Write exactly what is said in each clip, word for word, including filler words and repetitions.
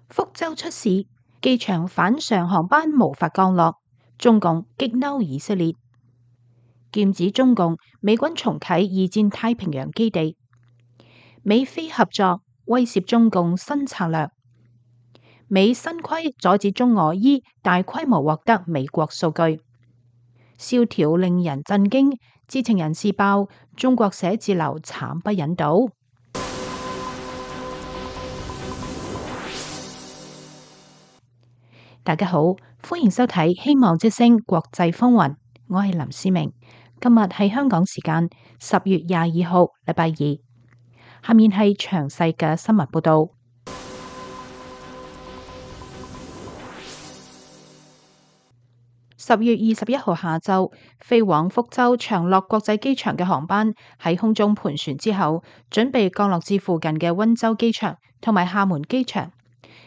福州出事，機場反常航班無法降落，中共激嬲以色列。劍指中共美軍重啟二戰太平洋基地，美菲合作威懾中共新策略。美新規阻止中俄伊大規模獲得美國數據，蕭條令人震驚。知情人士爆中國寫字樓慘不忍睹。大家好，歡迎收睇希望之聲國際風雲，我係林思明。今日係香港時間十月廿二號，禮拜二。下面係詳細嘅新聞報道。十月二十一號下晝，飛往福州長樂國際機場嘅航班喺空中盤旋之後，準備降落至附近嘅溫州機場同埋廈門機場，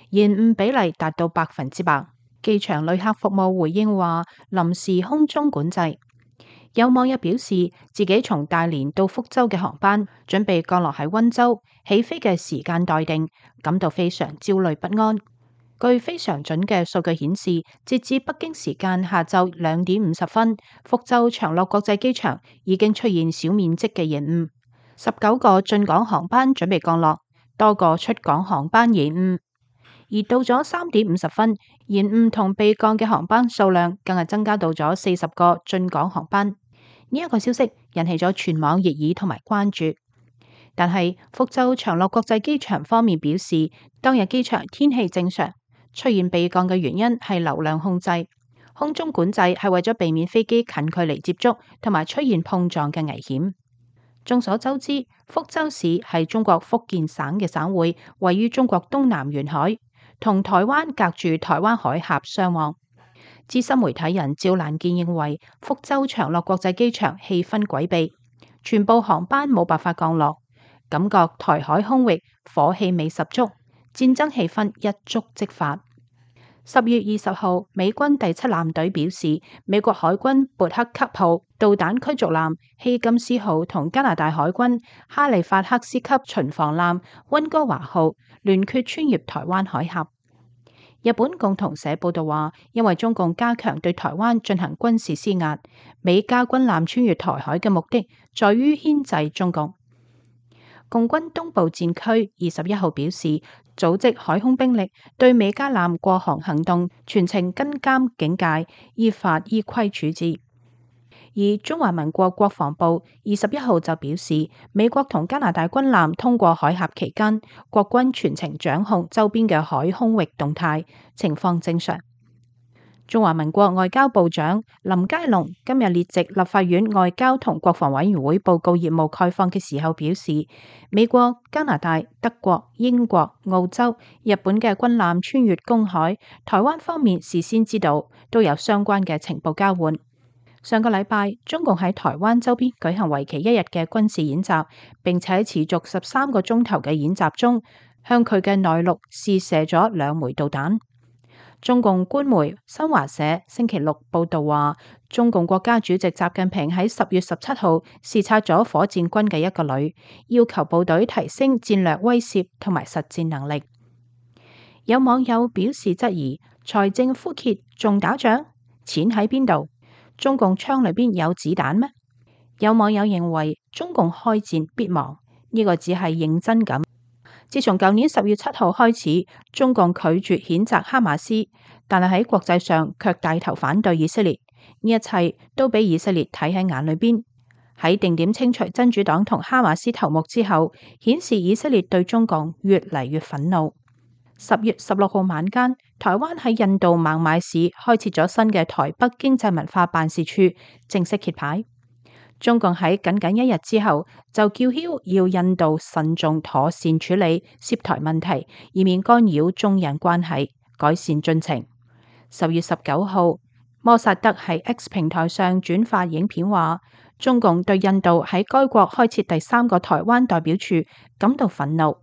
延誤比例達到百分之百。機場旅客服務回應話，臨時空中管制。有網友表示，自己從大連到福州嘅航班準備降落喺溫州，起飛嘅時間待定，感到非常焦慮不安。據非常準嘅數據顯示，截至北京時間下晝兩點五十分，福州長樂國際機場已經出現小面積嘅延誤，十九個進港航班準備降落，多個出港航班延誤。而到咗三點五十分，延誤同被降嘅航班數量更係增加到咗四十個進港航班。呢一個消息引起咗全網熱議同埋關注。但係福州長樂國際機場方面表示，當日機場天氣正常。出現被降嘅原因係流量控制，空中管制係為咗避免飛機近距離接觸同埋出現碰撞嘅危險。眾所周知，福州市係中國福建省嘅省會，位於中國東南沿海，同台灣隔住台灣海峽相望。資深媒體人趙蘭健認為，福州長樂國際機場氣氛詭秘，全部航班冇辦法降落，感覺台海空域火氣味十足，戰爭氣氛一觸即發。十月二十號，美軍第七艦隊表示，美國海軍勃克級號導彈驅逐艦希金斯號同加拿大海軍哈利法克斯級巡防艦溫哥華號聯決穿越台灣海峽。日本共同社報道話，因為中共加強對台灣進行軍事施壓，美加軍艦穿越台海嘅目的在於牽制中共。共軍東部戰區二十一號表示，組織海空兵力對美加艦過航行動全程跟監警戒，依法依規處置。而中華民國國防部二十一號就表示，美國同加拿大軍艦通過海峽期間，國軍全程掌控周邊嘅海空域動態，情況正常。中華民國外交部長林佳龍今日列席立法院外交同國防委員會報告業務概況嘅時候表示，美國、加拿大、德國、英國、澳洲、日本嘅軍艦穿越公海，台灣方面事先知道，都有相關嘅情報交換。上個禮拜，中共喺台灣周邊舉行為期一日嘅軍事演習，並且喺持續十三個鐘頭嘅演習中，向佢嘅內陸試射咗兩枚導彈。中共官媒新華社星期六報道話，中共國家主席習近平喺十月十七號視察咗火箭軍嘅一個旅，要求部隊提升戰略威懾同埋實戰能力。有網友表示質疑，財政枯竭仲打仗？錢喺邊度？中共槍裏邊有子彈咩？有網友認為，中共開戰必亡，呢個只係認真咁。自從舊年十月七號開始，中共拒絕譴責哈馬斯，但係喺國際上卻帶頭反對以色列，呢一切都俾以色列睇喺眼裏邊。喺定點清除真主黨同哈馬斯頭目之後，顯示以色列對中共越嚟越憤怒。十月十六號晚間，台灣喺印度孟買市開設咗新嘅台北經濟文化辦事處，正式揭牌。中共喺僅僅一日之後就叫囂要印度慎重妥善處理涉台問題，以免干擾中印關係，改善進程。十月十九號，摩薩德喺 X 平台上轉發影片話，中共對印度喺該國開設第三個台灣代表處感到憤怒。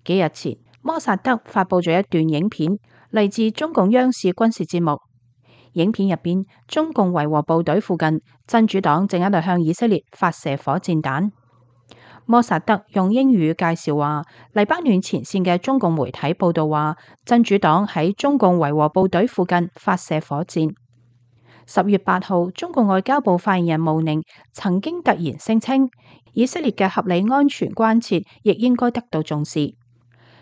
幾日前，摩薩德發佈咗一段影片，嚟自中共央視軍事節目。影片入邊，中共維和部隊附近，真主黨正喺度向以色列發射火箭彈。摩薩德用英語介紹話，黎巴嫩前線嘅中共媒體報道話，真主黨喺中共維和部隊附近發射火箭。十月八號，中共外交部發言人毛寧曾經突然聲稱，以色列嘅合理安全關切亦應該得到重視，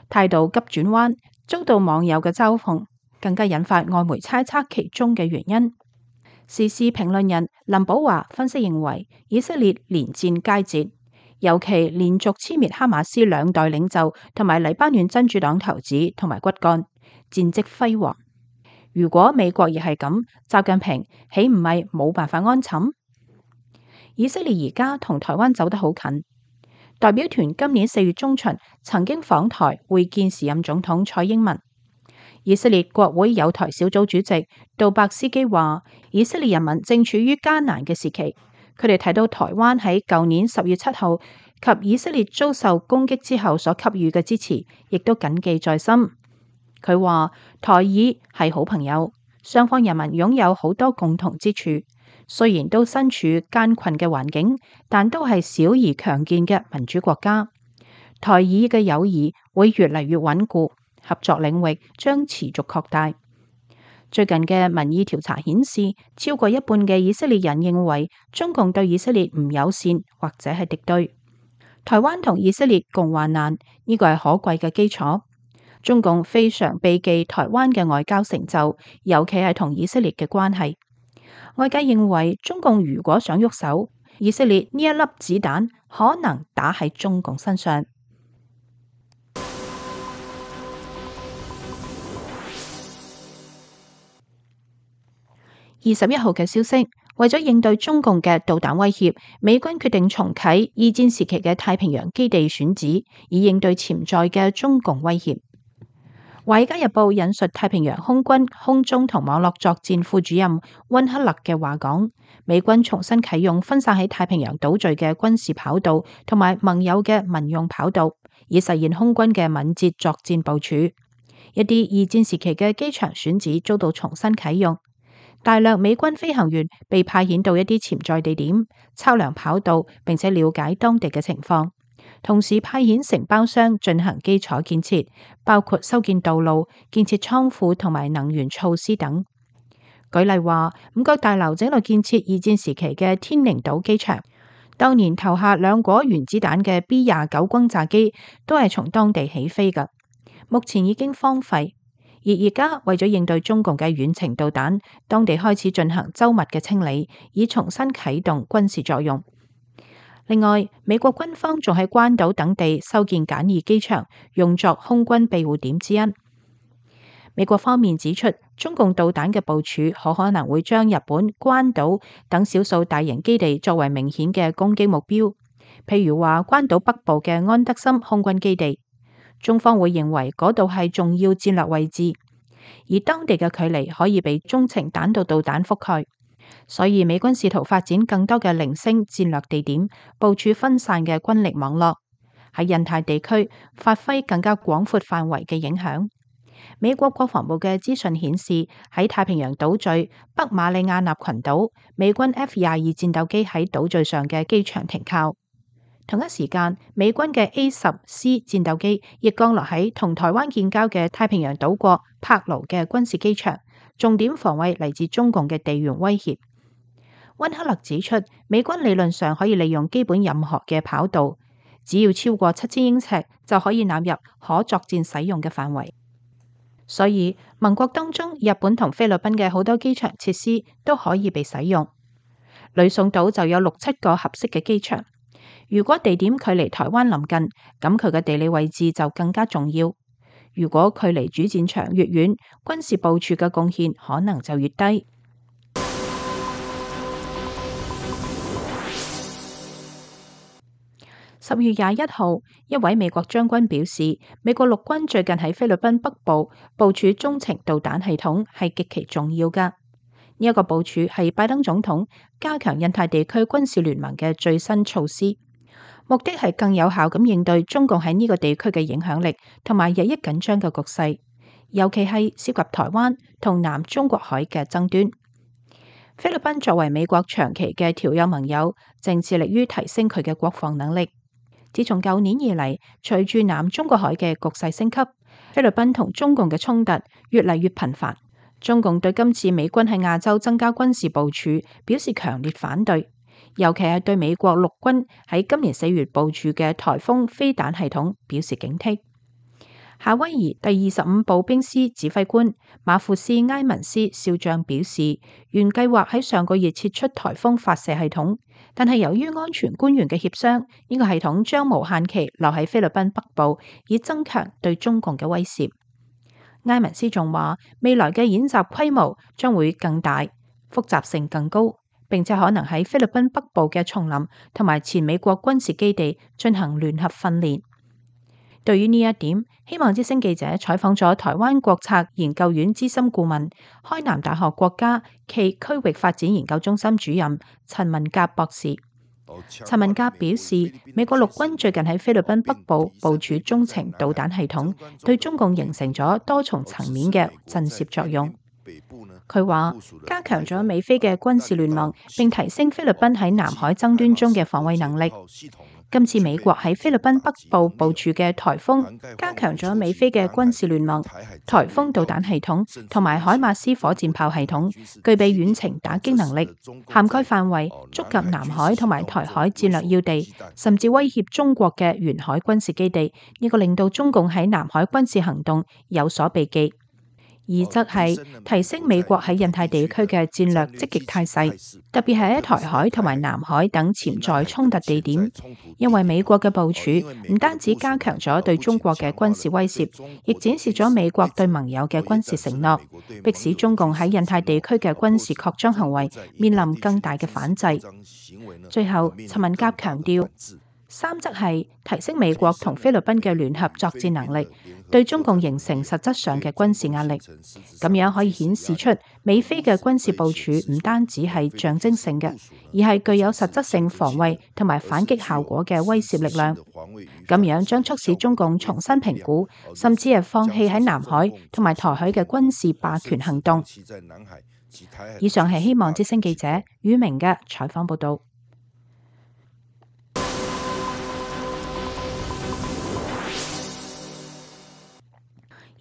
態度急轉彎，遭到網友嘅嘲諷，更加引發外媒猜測其中嘅原因。時事評論人林保華分析認為，以色列連戰佳節，尤其連續殲滅哈馬斯兩代領袖同埋黎巴嫩真主黨頭子同埋骨幹，戰績輝煌。如果美國亦係咁，習近平豈唔係冇辦法安寢？以色列而家同台灣走得好近，代表團今年四月中旬曾經訪台會見時任總統蔡英文。以色列國會友台小組主席杜伯斯基話，以色列人民正處於艱難嘅時期，佢哋睇到台灣喺舊年十月七號及以色列遭受攻擊之後所給予嘅支持，亦都謹記在心。佢話台以係好朋友，雙方人民擁有好多共同之處，雖然都身處艱困嘅環境，但都係小而強健嘅民主國家。台以嘅友誼會越嚟越穩固，合作領域將持續擴大。最近嘅民意調查顯示，超過一半嘅以色列人認為中共對以色列唔友善或者係敵對。台灣同以色列共患難，呢個係可貴嘅基礎。中共非常避忌台灣嘅外交成就，尤其係同以色列嘅關係。外界認為中共如果想喐手，以色列呢一粒子彈可能打喺中共身上。二十一號嘅消息，為咗應對中共嘅導彈威脅，美軍決定重啟二戰時期嘅太平洋基地選址，以應對潛在嘅中共威脅。《華爾街日報》引述太平洋空軍空中同網絡作戰副主任溫克勒嘅話講，美軍重新啟用分散喺太平洋島嶼嘅軍事跑道同埋盟友嘅民用跑道，以實現空軍嘅敏捷作戰部署。一啲二戰時期嘅機場選址遭到重新啟用，大量美軍飛行員被派遣到一啲潛在地點，測量跑道並且了解當地嘅情況。同時派遣承包商進行基礎建設，包括修建道路、建設倉庫同埋能源措施等。舉例話，五角大樓整路建設二戰時期嘅天寧島機場，當年投下兩顆原子彈嘅 B 廿九轟炸機都係從當地起飛㗎，目前已經荒廢。而而家為咗應對中共嘅遠程導彈，當地開始進行周密嘅清理，以重新啟動軍事作用。另外，美國軍方仲喺關島等地修建簡易機場，用作空軍庇護點之一。美國方面指出，中共導彈嘅部署可可能會將日本、關島等少數大型基地作為明顯嘅攻擊目標，譬如話關島北部嘅安德森空軍基地，中方會認為嗰度係重要戰略位置，而當地嘅距離可以被中程彈道導彈覆蓋。所以美軍試圖發展更多嘅零星戰略地點，部署分散嘅軍力網絡，喺印太地區發揮更加廣闊範圍嘅影響。美國國防部嘅資訊顯示，喺太平洋島嶼北馬里亞納群島，美軍 F 廿二戰鬥機喺島嶼上嘅機場停靠。同一時間，美軍嘅 A 十 C 戰鬥機亦降落喺同台灣建交嘅太平洋島國柏勞嘅軍事機場，重點防衛嚟自中共嘅地緣威脅。溫克勒指出，美軍理論上可以利用基本任何嘅跑道，只要超過七千英尺就可以納入可作戰使用嘅範圍。所以盟國當中，日本同菲律賓嘅好多機場設施都可以被使用。呂宋島就有六七個合適嘅機場。如果地點距離台灣臨近，咁佢嘅地理位置就更加重要。如果距離主戰場越遠，軍事部署嘅貢獻可能就越低。十月廿一號，一位美國將軍表示，美國陸軍最近喺菲律賓北部部署中程導彈系統係極其重要㗎。呢、這、一個部署係拜登總統加強印太地區軍事聯盟嘅最新措施，目的係更有效咁應對中共喺呢個地區嘅影響力同埋日益緊張嘅局勢，尤其係涉及台灣同南中國海嘅爭端。菲律賓作為美國長期嘅條約盟友，正致力於提升佢嘅國防能力。自從舊年以嚟，隨住南中國海嘅局勢升級，菲律賓同中共嘅衝突越嚟越頻繁。中共對今次美軍喺亞洲增加軍事部署表示強烈反對，尤其係對美國陸軍喺今年四月部署嘅颱風飛彈系統表示警惕。夏威夷第二十五步兵師指揮官馬庫斯埃文斯少將表示，原計劃喺上個月撤出颱風發射系統，但係由於安全官員嘅協商，呢個系統將無限期留喺菲律賓北部，以增強對中共嘅威懾。埃文斯仲話，未來嘅演習規模將會更大，複雜性更高，並且可能喺菲律賓北部嘅叢林同埋前美國軍事基地進行聯合訓練。對於呢一點，希望之聲記者採訪咗台灣國策研究院資深顧問、開南大學國家暨區域發展研究中心主任陳文甲博士。陳文甲表示，美國陸軍最近喺菲律賓北部部署中程導彈系統，對中共形成咗多重層面嘅震懾作用。佢話加強咗美菲嘅軍事聯盟，並提升菲律賓喺南海爭端中嘅防衛能力。今次美國喺菲律賓北部部署嘅颱風，加強咗美菲嘅軍事聯盟、颱風導彈系統同埋海馬斯火箭炮系統，具備遠程打擊能力，涵蓋範圍觸及南海同埋台海戰略要地，甚至威脅中國嘅沿海軍事基地。呢個令到中共喺南海軍事行動有所避忌。二則係提升美國喺印太地區嘅戰略積極態勢，特別係喺台海同埋南海等潛在衝突地點，因為美國嘅部署唔單止加強咗對中國嘅軍事威懾，亦展示咗美國對盟友嘅軍事承諾，迫使中共喺印太地區嘅軍事擴張行為面臨更大嘅反制。最後，陳文甲強調，三則係提升美國同菲律賓嘅聯合作戰能力，對中共形成實質上嘅軍事壓力。咁樣可以顯示出美菲嘅軍事部署唔單止係象徵性嘅，而係具有實質性防衛同埋反擊效果嘅威懾力量。咁樣將促使中共重新評估，甚至係放棄喺南海同埋台海嘅軍事霸權行動。以上係希望之聲記者宇明嘅採訪報道。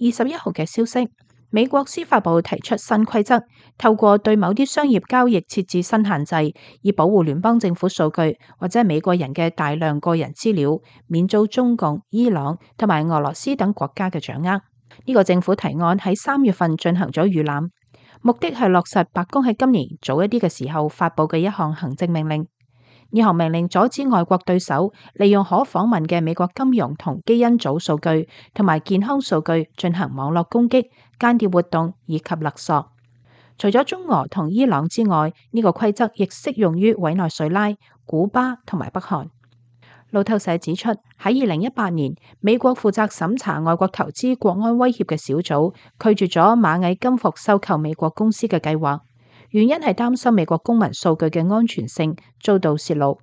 二十一號嘅消息，美國司法部提出新規則，透過對某啲商業交易設置新限制，以保護聯邦政府數據或者美國人嘅大量個人資料，免遭中共、伊朗同埋俄羅斯等國家嘅掌握。呢、這個政府提案喺三月份進行咗預覽，目的係落實白宮喺今年早一啲嘅時候發佈嘅一項行政命令。呢項命令阻止外國對手利用可訪問嘅美國金融同基因組數據同埋健康數據進行網絡攻擊、間諜活動以及勒索。除咗中俄同伊朗之外，呢、這個規則亦適用於委內瑞拉、古巴同埋北韓。路透社指出，喺二零一八年，美國負責審查外國投資國安威脅嘅小組拒絕咗螞蟻金服收購美國公司嘅計劃。原因係擔心美國公民數據嘅安全性遭到洩露，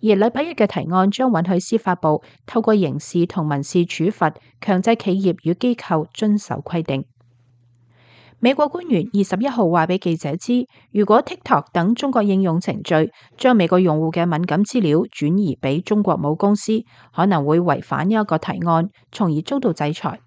而禮拜一嘅提案將允許司法部透過刑事同民事處罰強制企業與機構遵守規定。美國官員二十一號話俾記者知，如果 TikTok 等中國應用程序將美國用戶嘅敏感資料轉移俾中國母公司，可能會違反呢一個提案，從而遭到制裁。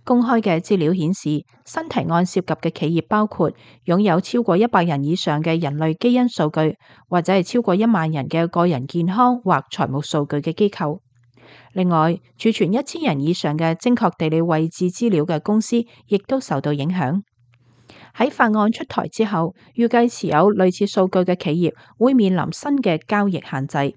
公開嘅資料顯示，新提案涉及嘅企業包括擁有超過一百人以上嘅人類基因數據，或者係超過一萬人嘅個人健康或財務數據嘅機構。另外，儲存一千人以上嘅精確地理位置資料嘅公司，亦都受到影響。喺法案出台之後，預計持有類似數據嘅企業會面臨新嘅交易限制。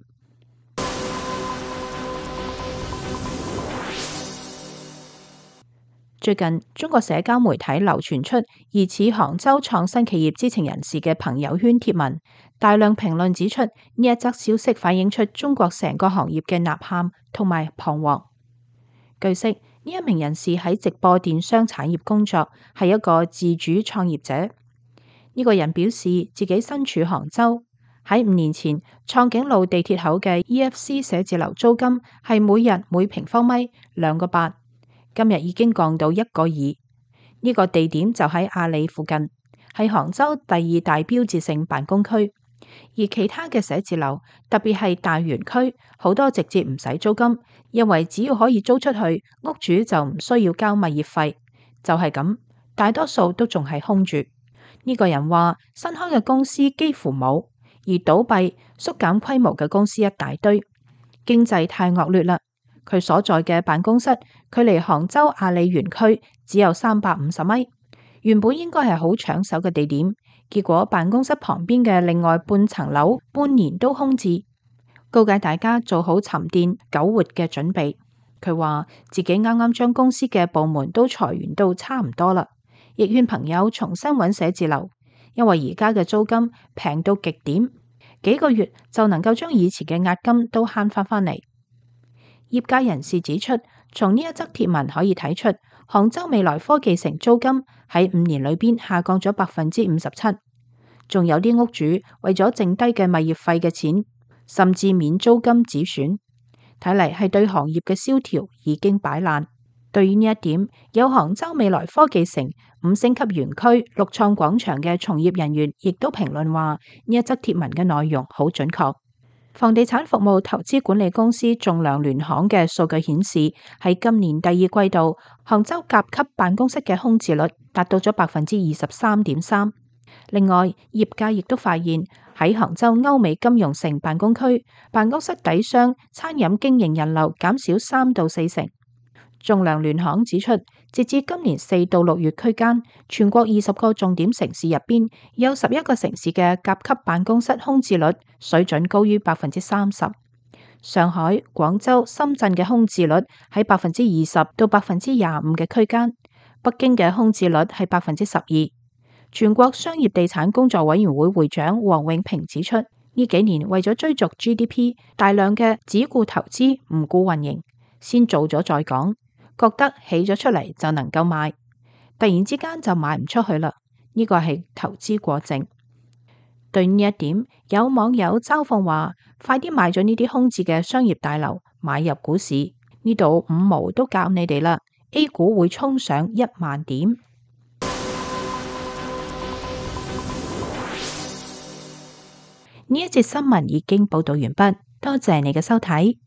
最近，中國社交媒體流傳出疑似杭州創新企業知情人士嘅朋友圈貼文，大量評論指出呢一則消息反映出中國成個行業嘅吶喊同埋彷徨。據悉，呢一名人士喺直播電商產業工作，係一個自主創業者。呢、這個人表示自己身處杭州，喺五年前創景路地鐵口嘅 E F C 寫字樓租金係每日每平方米兩個八。今日已經降到一個二，呢個地點就喺阿里附近，係杭州第二大標誌性辦公區。而其他嘅寫字樓，特別係大園區，好多直接唔使租金，因為只要可以租出去，屋主就唔需要交物業費。就係咁，大多數都仲係空住。呢個人話，新開嘅公司幾乎冇，而倒閉、縮減規模嘅公司一大堆，經濟太惡劣啦。佢所在嘅辦公室距離杭州阿里園區只有三百五十米，原本應該係好搶手嘅地點。結果辦公室旁邊嘅另外半層樓半年都空置，告誡大家做好沉澱苟活嘅準備。佢話自己啱啱將公司嘅部門都裁員到差唔多啦，亦勸朋友重新揾寫字樓，因為而家嘅租金平到極點，幾個月就能夠將以前嘅押金都慳翻返嚟。業界人士指出，從呢一則貼文可以睇出，杭州未來科技城租金喺五年裏邊下降咗百分之五十七，仲有啲屋主為咗剩低嘅物業費嘅錢，甚至免租金止損，睇嚟係對行業嘅蕭條已經擺爛。對於呢一點，有杭州未來科技城五星級園區六創廣場嘅從業人員亦都評論話，呢一則貼文嘅內容好準確。房地產服務投資管理公司仲量聯行嘅數據顯示，喺今年第二季度，杭州甲級辦公室嘅空置率達到咗百分之二十三點三。另外，業界亦都發現喺杭州歐美金融城辦公區，辦公室底商餐飲經營人流減少三到四成。仲量聯行指出，截至今年四到六月區間，全國二十個重點城市入邊，有十一個城市嘅甲級辦公室空置率水準高於百分之三十。上海、廣州、深圳嘅空置率喺百分之二十到百分之廿五嘅區間，北京嘅空置率係百分之十二。全國商業地產工作委員會會長王永平指出，呢幾年為咗追逐 G D P， 大量嘅只顧投資唔顧運營，先做咗再講。覺得起咗出嚟就能夠賣，突然之間就賣唔出去啦。呢個係投資過剩。對呢一點，有網友嘲諷話：快啲賣咗呢啲空置嘅商業大樓，買入股市。呢度五毛都教你哋啦 ，A 股會衝上一萬點。呢一節新聞已經報道完畢，多謝你嘅收睇。